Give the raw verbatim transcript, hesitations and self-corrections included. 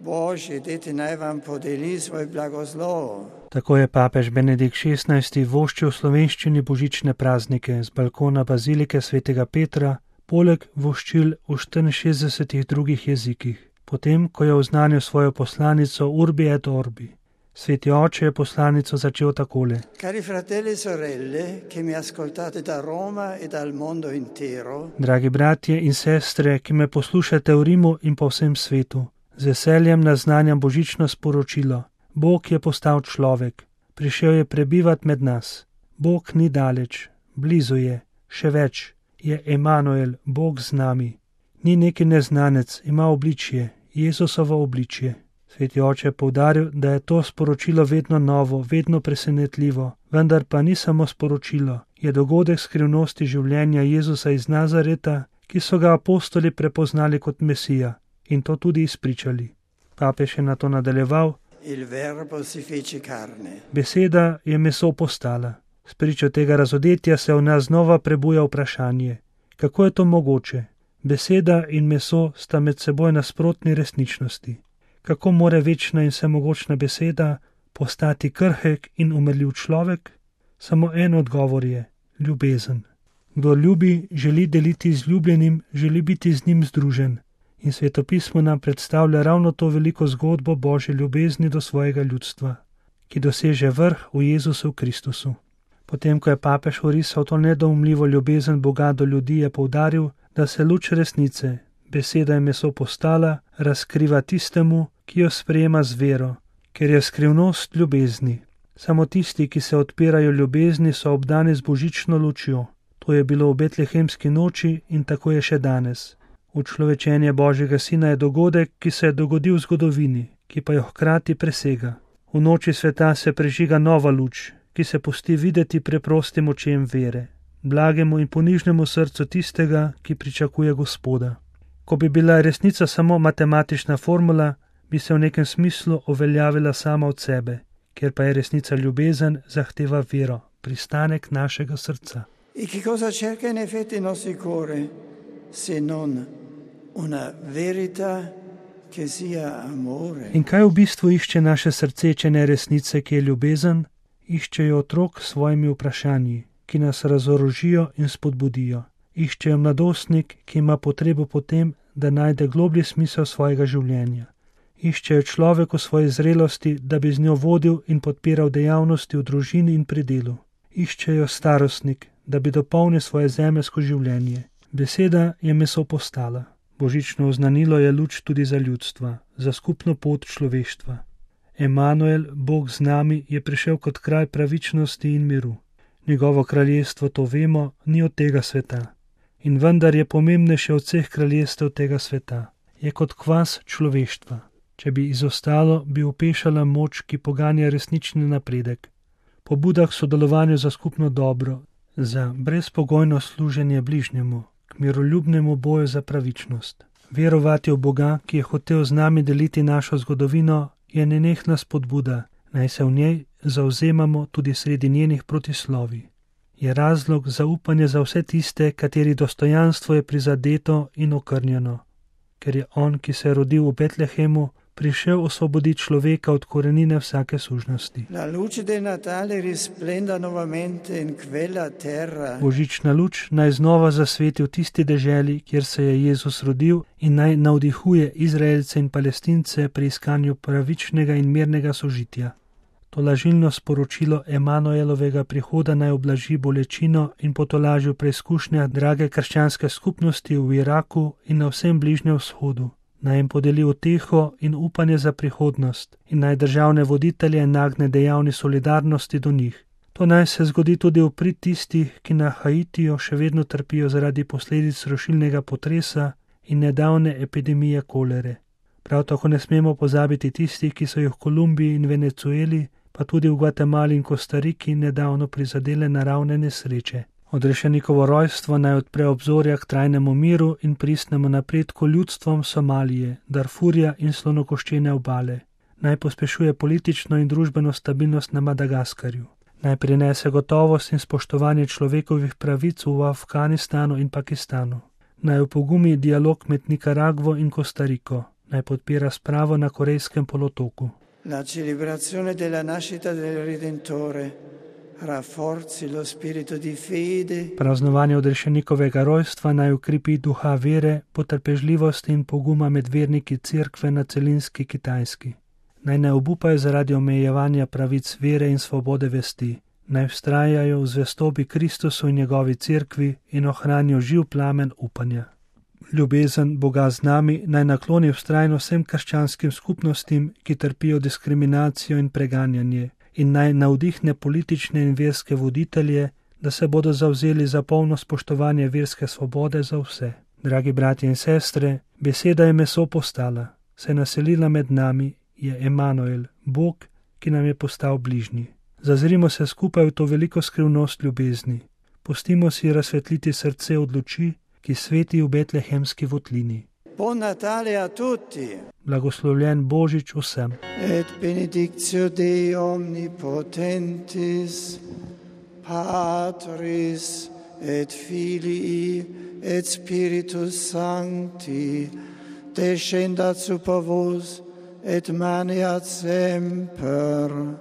Božji, dajte naj vam podeli svoj blagoslov. Tako je papež Benedikt šestnajsti voščil v slovenščini božične praznike z balkona bazilike svetega Petra, poleg voščil v štiriinšestdesetih drugih jezikih, potem, ko je oznanil svojo poslanico Urbi et Orbi. Sveti oče je poslanico začel takole. Cari fratelli e sorelle, che mi ascoltate da Roma e dal mondo intero. Dragi bratje in sestre, ki me poslušate v Rimu in po vsem svetu, z veseljem naznanjam božično sporočilo. Bog je postal človek, prišel je prebivat med nas. Bog ni daleč, blizu je, še več, je Emanuel, Bog z nami. Ni neki neznanec, ima obličje, Jezusovo obličje. Sveti oče je poudaril, da je to sporočilo vedno novo, vedno presenetljivo, vendar pa ni samo sporočilo, je dogodek skrivnosti življenja Jezusa iz Nazareta, ki so ga apostoli prepoznali kot Mesija in to tudi izpričali. Papež je nato nadaljeval. Il verbo si fece carne. Beseda je meso postala. Spričo tega razodetja se v nas znova prebuja vprašanje, kako je to mogoče? Beseda in meso sta med seboj nasprotni resničnosti. Kako more večna in vsemogočna beseda postati krhek in umrljiv človek? Samo en odgovor je, ljubezen. Kdor ljubi, želi deliti z ljubljenim, želi biti z njim združen. In svetopismo nam predstavlja ravno to veliko zgodbo Božje ljubezni do svojega ljudstva, ki doseže vrh v Jezusu Kristusu. Potem, ko je papež orisal to nedoumljivo ljubezen Boga do ljudi, je poudaril, da se luč resnice, beseda je meso postala, razkriva tistemu, ki jo sprejema z vero, ker je skrivnost ljubezni. Samo tisti, ki se odpirajo ljubezni, so obdani z božično lučjo. To je bilo v betlehemski noči in tako je še danes. Učlovečenje Božjega Sina je dogodek, ki se je dogodil v zgodovini, ki pa jo hkrati presega. V noči sveta se prežiga nova luč, ki se pusti videti preprostim očem vere, blagemu in ponižnemu srcu tistega, ki pričakuje Gospoda. Ko bi bila resnica samo matematična formula, bi se v nekem smislu uveljavila sama od sebe, ker pa je resnica ljubezen, zahteva vero, pristanek našega srca. E che cosa cerca in effetti il nostro cuore, se non una verità che sia amore? In kaj v bistvu išče naše srce, če ne resnice, ki je ljubezen? Iščejo otrok s svojimi vprašanji, ki nas razorožijo in spodbudijo. Iščejo mladostnik, ki ima potrebo po tem, da najde globlji smisel svojega življenja. Iščejo človek v svoji zrelosti, da bi z njo vodil in podpiral dejavnosti v družini in pri delu. Iščejo starostnik, da bi dopolnil svoje zemeljsko življenje. Beseda je meso postala. Božično oznanilo je luč tudi za ljudstva, za skupno pot človeštva. Emanuel, Bog z nami, je prišel kot kraj pravičnosti in miru. Njegovo kraljestvo, to vemo, ni od tega sveta. In vendar je pomembnejše od vseh kraljestev tega sveta. Je kot kvas človeštva. Če bi izostalo, bi upešala moč, ki poganja resnični napredek. Pobuda k sodelovanju za skupno dobro, za brezpogojno služenje bližnjemu, k miroljubnemu boju za pravičnost. Verovati v Boga, ki je hotel z nami deliti našo zgodovino, je nenehna spodbuda, naj se v njej zavzemamo tudi sredi njenih protislovi. Je razlog za upanje za vse tiste, kateri dostojanstvo je prizadeto in okrnjeno, ker je on, ki se je rodil v Betlehemu, prišel osvoboditi človeka od korenine vsake sužnosti. Božična luč naj znova zasveti v tisti deželi, kjer se je Jezus rodil, in naj navdihuje Izraelce in Palestince pri iskanju pravičnega in mirnega sožitja. To lažilno sporočilo Emanuelovega prihoda naj oblaži bolečino in potolaži v preizkušnjah drage krščanske skupnosti v Iraku in na vsem Bližnjem vzhodu. Naj jim podeli uteho in upanje za prihodnost in naj državne voditelje nagne dejavni solidarnosti do njih. To naj se zgodi tudi v prid tistih, ki na Haitiju še vedno trpijo zaradi posledic rušilnega potresa in nedavne epidemije kolere. Prav tako ne smemo pozabiti tistih, ki so jih v Kolumbiji in Venezueli, pa tudi v Gvatemali in Kostariki nedavno prizadele naravne nesreče. Odrešenikovo rojstvo naj odpre obzorja k trajnemu miru in pristnemu napredku ljudstvom Somalije, Darfurja in slonokoščene obale. Naj pospešuje politično in družbeno stabilnost na Madagaskarju. Naj prinese gotovost in spoštovanje človekovih pravic v Afganistanu in Pakistanu. Naj opogumi dialog med Nikaragvo in Kostariko. naj podpira spravo na Korejskem polotoku. La celebrazione della nascita del Redentore rafforzi lo spirito di fede. Praznovanje odrešenikovega rojstva naj ukrepi duha vere, potrpežljivosti in poguma med verniki cerkve na celinski Kitajski. Naj ne obupajo zaradi omejevanja pravic vere in svobode vesti. Naj vztrajajo v zvestobi Kristusu in njegovi cerkvi in ohranijo živ plamen upanja. Ljubezen Boga z nami naj nakloni vztrajno vsem krščanskim skupnostim, ki trpijo diskriminacijo in preganjanje, in naj navdihne politične in verske voditelje, da se bodo zavzeli za polno spoštovanje verske svobode za vse. Dragi bratje in sestre, beseda je meso postala, se naselila med nami, je Emanuel, Bog, ki nam je postal bližnji. Zazrimo se skupaj v to veliko skrivnost ljubezni. Pustimo si razsvetliti srce od luči, ki sveti v betlehemski votlini. Buon Natale a tutti. Blagoslovljen Božič vsem. Et benedictio Dei omnipotentis, Patris et Filii et Spiritus Sancti, descendat super vos et maneat semper